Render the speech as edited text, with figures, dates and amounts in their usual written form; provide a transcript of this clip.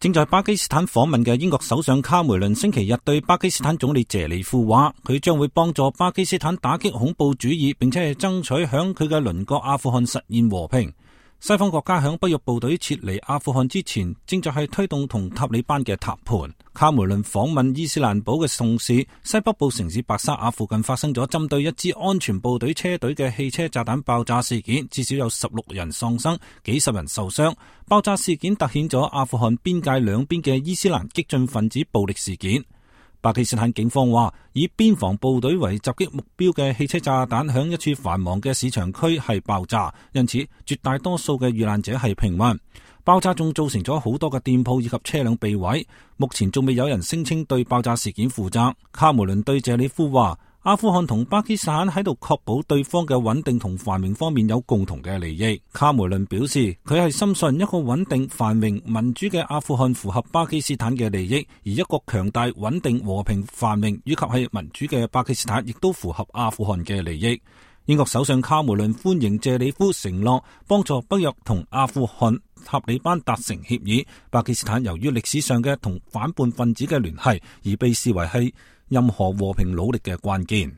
正在巴基斯坦訪問嘅英國首相卡梅倫星期日對巴基斯坦總理謝里夫話，佢將會幫助巴基斯坦打擊恐怖主義，並且係爭取響佢嘅鄰國阿富汗實現和平。西方國家響北約部隊撤離阿富汗之前，正在係推動同塔利班嘅談判。卡梅倫訪問伊斯蘭堡嘅同時，西北部城市白沙瓦附近發生咗針對一支安全部隊車隊嘅汽車炸彈爆炸事件，至少有16人喪生，幾十人受傷。爆炸事件凸顯咗阿富汗邊界兩邊嘅伊斯蘭激進分子暴力事件。巴基斯坦警方話，以邊防部隊為襲擊目標嘅汽車炸彈響一處繁忙嘅市場區係爆炸，因此絕大多數嘅遇難者係平民。爆炸仲造成咗好多嘅店鋪以及車輛被毀，目前仲未有人聲稱對爆炸事件負責。卡梅倫對謝里夫話，阿富汗同巴基斯坦喺度確保對方嘅穩定同繁榮方面有共同嘅利益。卡梅倫表示，佢係深信一個穩定、繁榮、民主嘅阿富汗符合巴基斯坦嘅利益，而一個強大、穩定、和平、繁榮以及係民主嘅巴基斯坦亦都符合阿富汗嘅利益。英國首相卡梅倫歡迎謝里夫承諾幫助北約同阿富汗塔利班達成協議。巴基斯坦由於歷史上嘅同反叛分子嘅聯繫，而被視為係任何和平努力嘅關鍵。